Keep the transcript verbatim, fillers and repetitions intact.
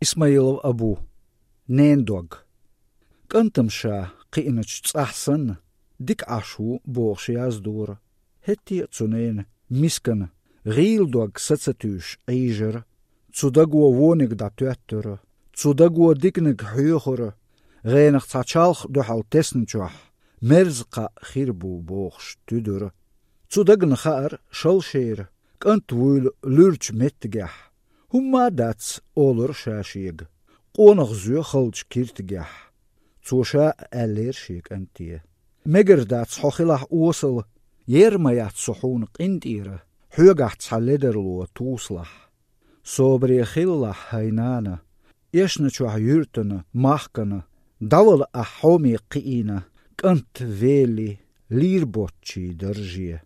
Исмаилов Абу. Ненан дог. КӀантам ша кхиъначу цӀахь санна, дика Ӏаш ву бохуш яздора. ХӀетте а цу ненан мискана гӀийла дог са ца туьйсуш Ӏийжара. Цу даго вониг дӀатоьттара, цу даго диканиг хьоьхура. ГӀенах цхьа чалх дуьхьал тесначохь, мерза кхаъ хир бу бохуш туьдура. Цу дагна хаьара шалшера, кӀант вуйла луьрачу меттигехь. ХӀумма а дац, олура ша шега, къонах зоь халчу киртигехь. Цо ша а аьллера шен кӀанте: «Мегар дац хьо хилахь осал, ер ма яц со хьуна къинтӀера, хьоьгахь цхьа ледарло тосалахь. Собаре хилалахь, хӀай нана, эшначохь юьртана, махкана, дӀавала ахь хьоме кхиийна, кӀант велли, лийр боцчий дарже».